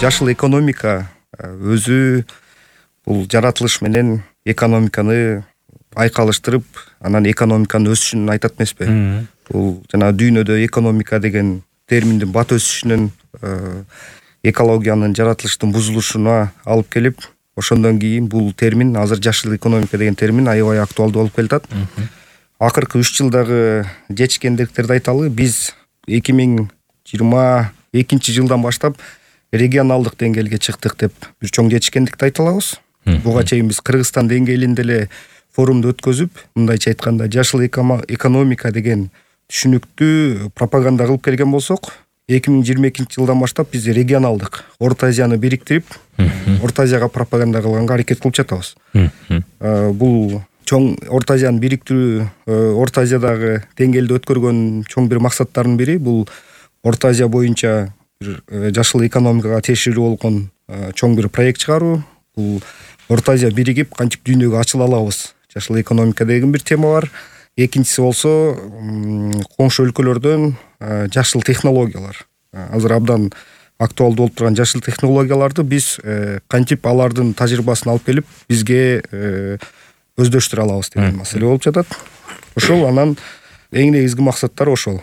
жашыл экономика өзү бул жаратылыш менен экономиканы айкалыштырып, анан экономиканын өсүшүн айтат эмеспи? Бул жана дүйнөдө экономика деген терминдин бат өсүшүнөн экологиянын, жаратылыштын бузулушуна алып келип, ошондон кийин бул термин, азыр жашыл экономика деген термин аябай актуалдуу болуп келатат. Акыркы 3 жылдагы жетишкендиктерди айталы, биз 2022 жылдан баштап регионалдык деңгээлге чыктык деп бир чоң жетишкендикти айта алабыз. Буга чейин биз Кыргызстан деңгээлинде эле форумду өткөзүп, мындайча айтканда жашыл экономика деген түшүнүктүү пропаганда кылып келген болсок, 2022 жылдан баштап биз регионалдык Орто Азияны бириктирип, Орто Азияга пропаганда кылганга аракет кылып жатабыз. Бул чоң Орто Азияны бириктирүү, Орто Азиядагы деңгээлде өткөргөн чоң бир максаттардын бири бул Орто Азия боюнча жашыл экономикага тиешелүү болгон чоң бир проект чыгаруу. Бул Орто Азия биригип кантип дүйнөгө ачыла алабыз, жашыл экономика деген бир тема бар. Экинчиси болсо коңшу өлкөлөрдөн жашыл технологиялар. Азыр абдан актуалдуу болуп турган жашыл технологияларды биз кантип алардын тажрыйбасын алып келип бизге өздөштүрө алабыз деген маселе болуп жатат. Ошол анан эң негизги максаттар ошол.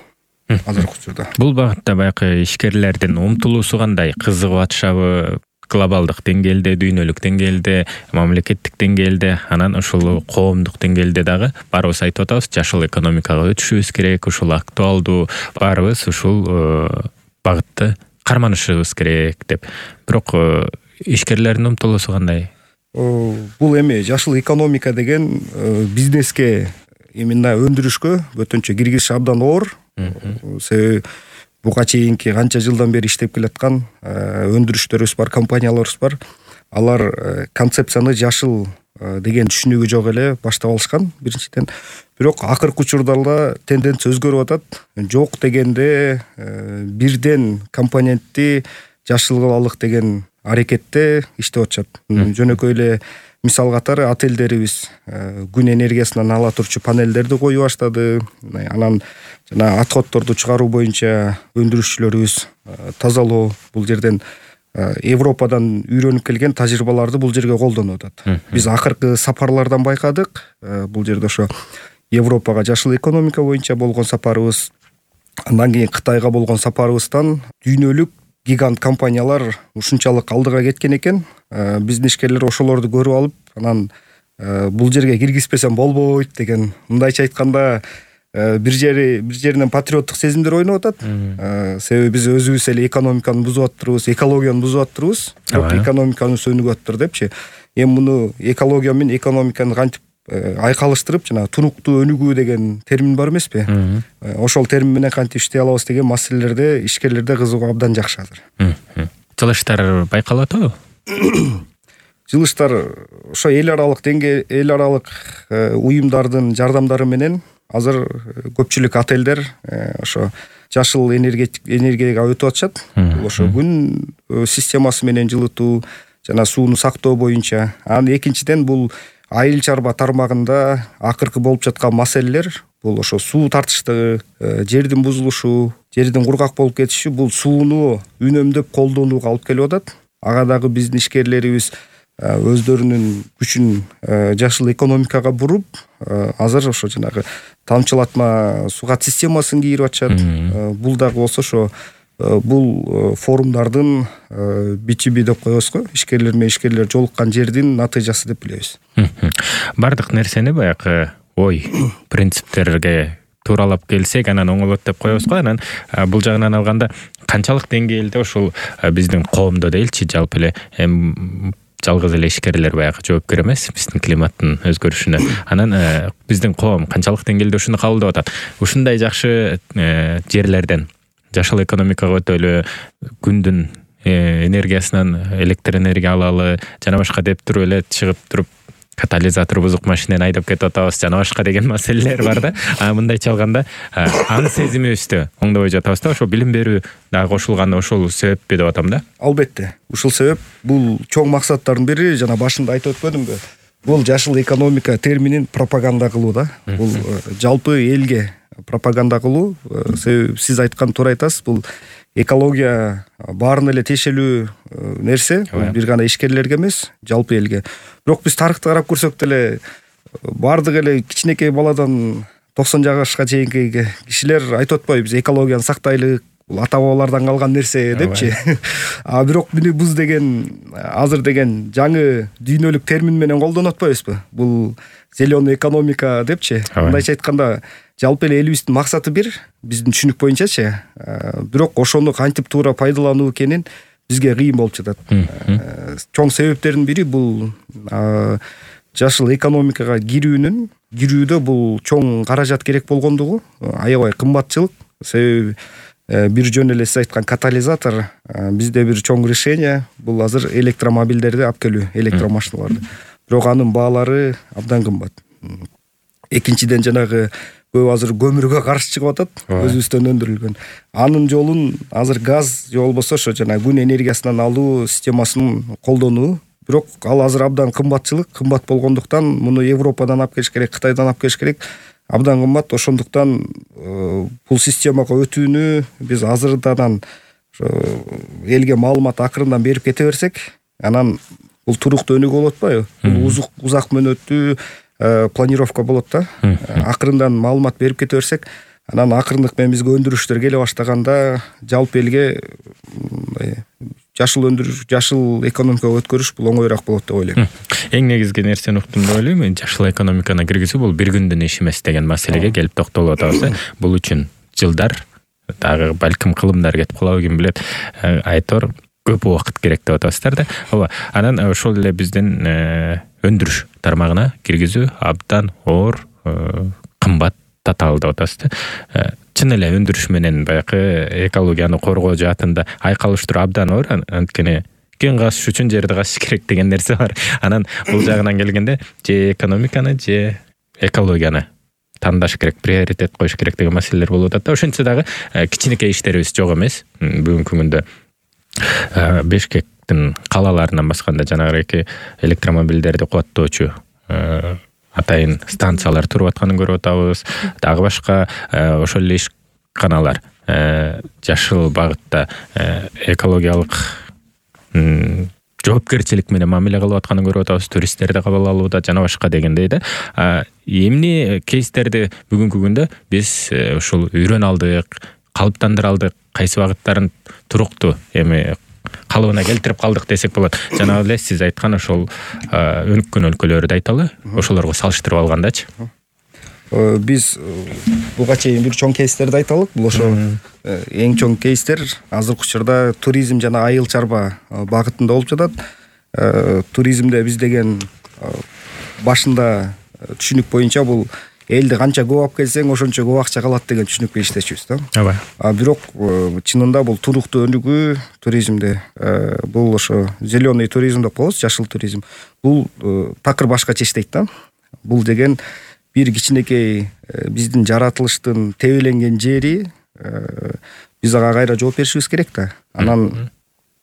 Азыркы учурда. Бул багытта байкы ишкерлердин умтулуусу кандай? Кызыгып атышабы? Глобалдык деңгээлде, дүйнөлүк деңгээлде, мамлекеттик деңгээлде, анан ушул коомдук деңгээлде дагы баарыбыз айтып атабыз, жашыл экономикага өтүшүбүз керек, ушул актуалдуу, баарыбыз ушул багытты карманышыбыз керек деп. Бирок ишкерлердин умтулуусу кандай? Бул эми жашыл экономика деген бизнеске, именно өндүрүшкө өтөнчө киргизиш абдан оор. Себеби буга чейинки канча жылдан бери иштеп келаткан өндүрүштөрүбүз бар, компанияларыбыз бар. Алар концепцияны жашыл деген түшүнүгү жок эле баштап алышкан биринчиден. Бирок акыркы учурларда тенденция өзгөрүп атат. Жок дегенде бирден компонентти жашыл кылалык деген аракетте иштеп атышат. Жөнөкөй эле мисал катары отелдерибиз күн энергиясынан ала турчу панелдерди коюп баштады. Анан жана отходдорду чыгаруу боюнча өндүрүшчүлөрүбүз тазалоо, бул жерден Европадан үйрөнүп келген тажрыйбаларды бул жерге колдонуп атат. Биз акыркы сапарлардан байкадык. Бул жерде ошо Европага жашыл экономика боюнча болгон сапарыбыз, андан кийин Кытайга болгон сапарыбыздан дүйнөлүк гигант компаниялар ушунчалык алдыга кеткен экен. Биздин ишкерлер ошолорду көрүп алып, анан бул жерге киргизбесем болбойт деген, мындайча айтканда бир жеринен патриоттук сезимдер ойноп атат. Себеби биз өзүбүз эле экономиканы бузуп аттырбыз, экологияны бузуп аттырбыз, бирок экономиканы сөнүгүп аттыр депчи. Эми муну экология менен экономиканы кантип айкалыштырып, жана туруктуу өнүгүү деген термин бар эмеспи? Ошол термин менен кантип иштей алабыз деген маселелерде ишкерлерде кызыгуу абдан жакшы азыр. Жылыштар байкалып атабы? Жылыштар ошо эл аралык уюмдардын жардамдары менен азыр көпчүлүк отелдер ошо жашыл энергияга өтүп атышат. Ошо күн системасы менен жылытуу жана сууну сактоо боюнча. Анан экинчиден бул айыл чарба тармагында акыркы болуп жаткан маселелер бул ошо суу тартыштыгы, жердин бузулушу, жердин кургак болуп кетиши, бул сууну үнөмдөп колдонууга алып келип атат. Ага дагы биздин ишкерлерибиз өздөрүнүн күчүн жашыл экономикага буруп, азыр ошо жанагы тамчылатма сугат системасын кийирип атышат. Бул дагы болсо ошо бул форумдардын бичиби деп коебуз го, ишкерлер менен ишкерлер жолуккан жердин натыйжасы деп билебиз. Бардык нерсени баягы ой, принциптерге тууралап келсек, анан оңолот деп коебуз го. Анан бул жагынан алганда канчалык деңгээлде ушул биздин коомдо дейличи, жалпы эле жалгыз эле ишкерлер баягы жоопкер эмес биздин климаттын өзгөрүшүнө. Анан биздин коом канчалык деңгээлде ушуну кабылдап атат? Ушундай жакшы жерлерден жашыл экономикага өтөлү, күндүн энергиясынан электр энергия алалы, жана башка деп туруп эле чыгып туруп катализатор бузук машинени айдап кетип атабыз, жана башка деген маселелер бар да. Мындайча алганда аң сезимибизди оңдобой жатабыз да. Ошо билим берүү дагы кошулганы ошол себеппи деп атам да. Албетте. Ушул себеп. Бул чоң максаттардын бири, жана башында айтып өтпөдүмбү? Бул жашыл экономика терминин пропаганда кылуу да. Бул жалпы элге пропаганда кылуу. Себеби сиз айткан туура айтасыз, бул экология баарына эле тиешелүү нерсе. Бул бир гана ишкерлерге эмес, жалпы элге. Бирок биз тарыхты карап көрсөк деле баардык эле кичинекей баладан 90 жашка чейинки кишилер айтып атпайбы, биз экологияны сактайлык, бул ата бабалардан калган нерсе депчи. А бирок биз деген азыр деген жаңы дүйнөлүк термин менен колдонуп атпайбызбы? Бул зеленый экономика депчи. Мындайча айтканда, жалпы эле элибиздин максаты бир, биздин түшүнүк боюнчачы. Бирок ошону кантип туура пайдалануу экенин бизге кыйын болуп жатат. Чоң себептердин бири бул жашыл экономикага кирүүдө бул чоң каражат керек болгондугу, аябай кымбатчылык. Себеби бир жөн эле сиз айткан катализатор бизде бир чоң решение бул азыр электромобилдерди алып келүү, электромашиналарды. Бирок анын баалары абдан кымбат. Экинчиден жанагы көп азыр көмүргө каршы чыгып атат, өзүбүздөн өндүрүлгөн. Анын жолун азыр газ же болбосо ошо жана күн энергиясынан алуу системасын колдонуу. Бирок ал азыр абдан кымбат болгондуктан муну Европадан алып келиш керек, Кытайдан алып келиш керек. Абдан кымбат. Ошондуктан бул системага өтүүнү биз азырдан элге маалымат акырындан берип кете берсек, анан бул туруктуу өнүгүү болуп атпайбы? Бул узак мөөнөттүү планировка болот да. Акырындан маалымат берип кете берсек, анан акырындык менен бизге өндүрүштөр келе баштаганда жалпы элге жашыл экономикага өткөрүш бул оңоюраак болот деп ойлойм. Эң негизги нерсени уктум деп ойлойм. Жашыл экономиканы киргизүү бул бир күндүн иши эмес деген маселеге келип токтолуп атабыз. Бул үчүн жылдар, дагы балким кылымдар кетип калабы, ким билет, айтор көп убакыт керек деп атасыздар да. Ооба, анан ошол эле биздин өндүрүш тармагына киргизүү абдан оор, кымбат, татаал деп атасыз да. Чын эле өндүрүш менен баягы экологияны коргоо жаатында айкалыштыруу абдан оор. Анткени кен касыш үчүн жерди касыш керек деген нерсе бар. Анан бул жагынан келгенде же экономиканы же экологияны тандаш керек, приоритет коюш керек деген маселелер болуп атат да. Ошентсе дагы кичинекей иштерибиз жок эмес. Бүгүнкү күндө Бишкектин калаларынан басканда жанагы электромобилдерди кубаттоочу атайын станциялар туруп атканын көрүп атабыз. Дагы башка ошол эле ишканалар жашыл багытта экологиялык жоопкерчилик менен мамиле кылып атканын көрүп атабыз. Туристтерди кабыл алууда жана башка дегендей да. Эмне кейстерди бүгүнкү күндө биз ушул үйрөнө алдык, калыптандыра алдык, кайсы багыттарын туруктуу эми калыбына келтирип калдык десек болот. Жана эле сиз айткан ошол өнүккөн өлкөлөрдү айталы, ошолорго салыштырып алгандачы. Биз буга чейин бир чоң кейстерди айталык. Бул ошо эң чоң кейстер азыркы учурда туризм жана айыл чарба багытында болуп жатат. Туризмде биз деген башында түшүнүк боюнча бул элди канча көп алып келсең, ошончо көп акча калат деген түшүнүккө иштечүбүз да. Ооба. Бирок чынында бул туруктуу өнүгүү туризмде, бул ошо зеленый туризм деп коебуз, жашыл туризм. Бул такыр башкача иштейт да. Бул деген бир кичинекей биздин жаратылыштын тебеленген жери, биз ага кайра жооп беришибиз керек да. Анан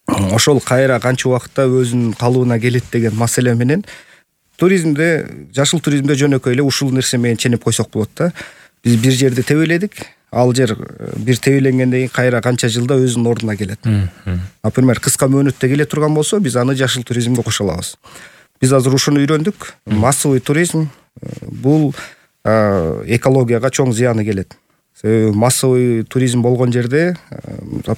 ошол кайра канча убакытта өзүнүн калыбына келет деген маселе менен туризмде, жашыл туризмде жөнөкөй эле ушул нерсе менен ченеп койсок болот да. Биз бир жерди тебеледик, ал жер бир тебеленгенден кийин кайра канча жылда өзүнүн ордуна келет. Например, кыска мөөнөттө келе турган болсо, биз аны жашыл туризмге кошо алабыз. Биз азыр ушуну үйрөндүк. Массовый туризм бул экологияга чоң зыяны келет. Себеби массовый туризм болгон жерде,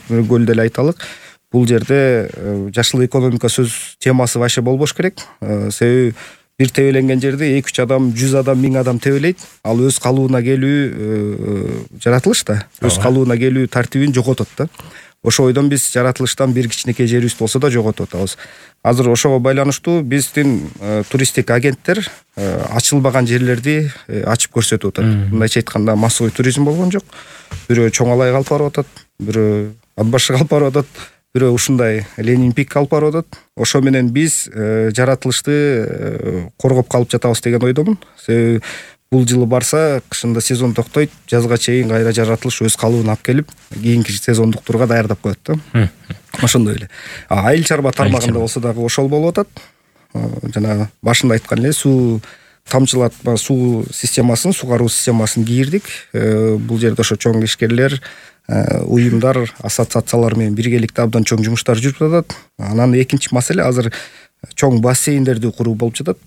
көлдө эле айталык, бул жерде жашыл экономика сөз темасы вообще болбош керек. Себеби бир тебеленген жерде 2-3 адам, 100 адам, 1000 адам тебелейт. Ал өз калыбына келүү жаратылыш да. Өз калыбына келүү тартибин жоготот да. Ошо ойдон биз жаратылыштан бир кичинекей жерибиз болсо да жоготуп атабыз. Азыр ошого байланыштуу биздин туристтик агенттер ачылбаган жерлерди ачып көрсөтүп атат. Мындайча айтканда, массовый туризм болгон жок. Бирөө Чоң Алайга алып барып атат, бирөө Ат башыга алып барып атат, бирөө ушундай Ленин пик алып барып атат. Ошо менен биз жаратылышты коргоп калып жатабыз деген ойдомун. Себеби бул жылы барса, кышында сезон токтойт, жазга чейин кайра жаратылыш өз калыбын алып келип, кийинки сезондук турга даярдап коет да. Ошондой эле. Айыл чарба тармагында болсо дагы ошол болуп атат. Жана башында айткан эле суу тамчылатма суу системасын, сугаруу системасын кийирдик. Бул жерде ошо чоң ишкерлер, уюмдар, ассоциациялар менен биргеликте абдан чоң жумуштар жүрүп жатат. Анан экинчи маселе азыр чоң бассейндерди куруу болуп жатат.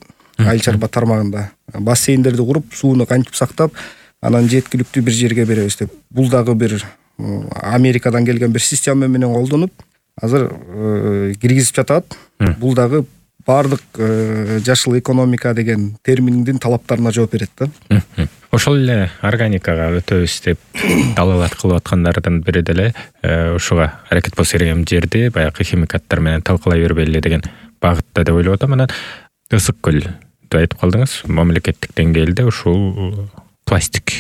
Айыл чарба тармагында бассейндерди куруп, сууну кантип сактап, анан жеткиликтүү бир жерге беребиз деп. Бул дагы бир Америкадан келген бир система менен колдонуп, азыр киргизип жатат. Бул дагы баардык жашыл экономика деген терминдин талаптарына жооп берет да. Ошол эле органикага өтөбүз деп далаалат кылып аткандардан бири деле ушуга аракет болсо керек, жерди баягы химикаттар менен талкалай бербейли деген багытта деп ойлоп атам. Анан Ысык көлдү айтып калдыңыз. Мамлекеттик деңгээлде ушул пластик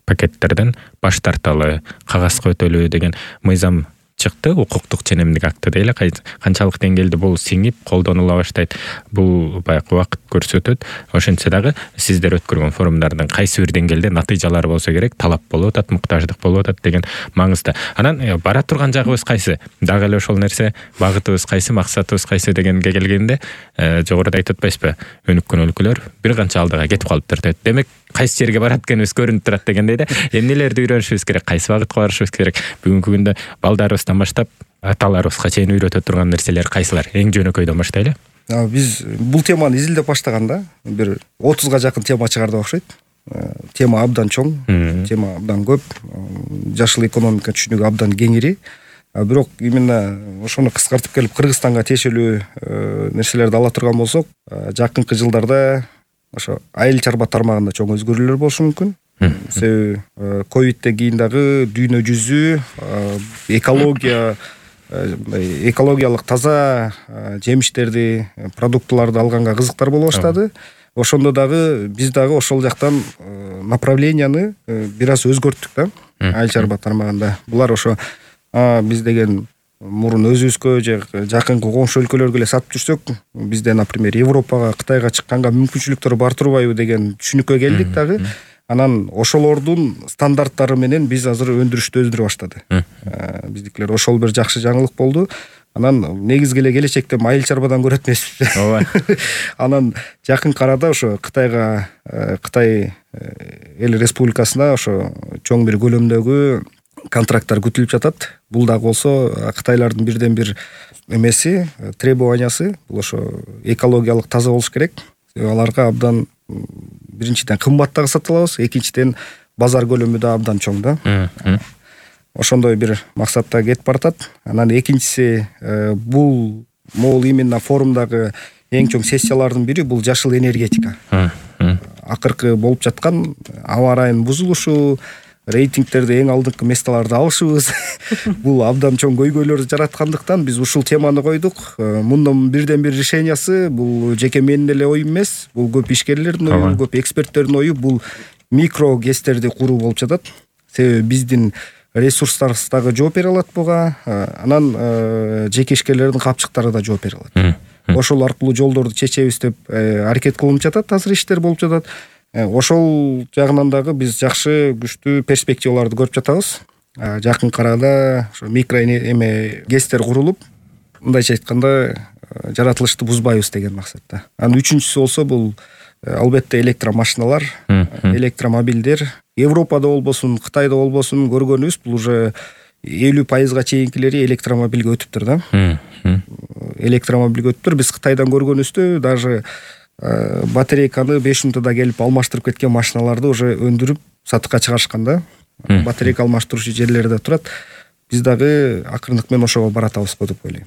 пакеттерден баш тарталы, кагазга өтөлүү деген мыйзам чыкты, укуктук ченемдик акты дейли. Канчалык деңгээлде бул сиңип колдонула баштайт, бул баягы убакыт көрсөтөт. Ошентсе дагы сиздер өткөргөн форумдардын кайсы бир деңгээлде натыйжалары болсо керек, талап болуп атат, муктаждык болуп атат деген маңызда. Анан бара турган жагыбыз кайсы? Дагы эле ошол нерсе, багытыбыз кайсы, максатыбыз кайсы дегенге келгенде жогоруда айтып атпайсызбы? Өнүккөн өлкөлөр бир канча алдыга кетип калыптыр дейт. Демек, кайсы жерге барат экенибиз көрүнүп турат дегендей да. Эмнелерди үйрөнүшүбүз керек, кайсы багытка барышыбыз керек? Бүгүнкү күндө балдарыбыздан баштап аталарыбызга чейин үйрөтө турган нерселер кайсылар? Эң жөнөкөйдөн баштайлы. Биз бул теманы изилдеп баштаганда бир 30га жакын тема чыгарды окшойт. Тема абдан чоң, тема абдан көп, жашыл экономика түшүнүгү абдан кеңири. Бирок именно ошону кыскартып келип Кыргызстанга тиешелүү нерселерди ала турган болсок, жакынкы жылдарда ошо айыл чарба тармагында чоң өзгөрүүлөр болушу мүмкүн. Себеби ковидтен кийин дагы дүйнө жүзү экологиялык таза жемиштерди, продуктыларды алганга кызыктар боло баштады. Ошондо дагы биз дагы ошол жактан направленияны бир аз өзгөрттүк да, айыл чарба тармагында. Булар ошо биз деген мурун өзүбүзгө же жакынкы коңшу өлкөлөргө эле сатып жүрсөк, бизде, например, Европага, Кытайга чыкканга мүмкүнчүлүктөр бар турбайбы деген түшүнүккө келдик дагы. Анан ошолордун стандарттары менен биз азыр өндүрүштү өздүрө баштады. Биздикилер ошол бир жакшы жаңылык болду. Анан негизги эле келечекте айыл чарбадан көрөт эмеспиз. Ооба. Анан жакынкы арада ошо Кытайга, Кытай эл республикасына ошо чоң бир көлөмдөгү контракттар күтүлүп жатат. Бул дагы болсо кытайлардын бирден бир эмеси, требованиясы, бул ошо экологиялык таза болуш керек. Аларга абдан биринчиден кымбат дагы сатып алабыз, экинчиден базар көлөмү да абдан чоң да. Ошондой бир максатта кетип баратат. Анан экинчиси, бул могул именно форумдагы эң чоң сессиялардын бири бул жашыл энергетика. Акыркы болуп жаткан аба ырайынын бузулушу, рейтингтерде эң алдыңкы месталарды алышыбыз бул абдан чоң көйгөйлөрдү жараткандыктан биз ушул теманы койдук. Мундун бирден бир решениясы бул жеке менин эле оюм эмес, бул көп ишкерлердин ою, көп эксперттердин ою, бул микро ГЭСтерди куруу болуп жатат. Себеби биздин ресурстарыбыз дагы жооп бере алат буга, анан жеке ишкерлердин капчыктары да жооп бере алат. Ошол аркылуу жолдорду чечебиз деп аракет кылынып жатат, азыр иштер болуп жатат. Ошол жагынан дагы биз жакшы күчтүү перспективаларды көрүп жатабыз. Жакынкы арада ошо микро ГЭСтер курулуп, мындайча айтканда жаратылышты бузбайбыз деген максатта. Анан үчүнчүсү болсо бул албетте электромашиналар, электромобилдер. Европада болбосун, Кытайда болбосун, көргөнүбүз бул уже 50% чейинкилери электромобилге өтүптүр да. Электромобилге өтүптүр. Биз Кытайдан көргөнүбүздө даже батарейканы 5 минутта келип алмаштырып кеткен машиналарды уже өндүрүп сатыкка чыгарышкан да. Батарейка алмаштыруучу жерлер да турат. Биз дагы акырындык менен ошого баратабыз го деп ойлойм.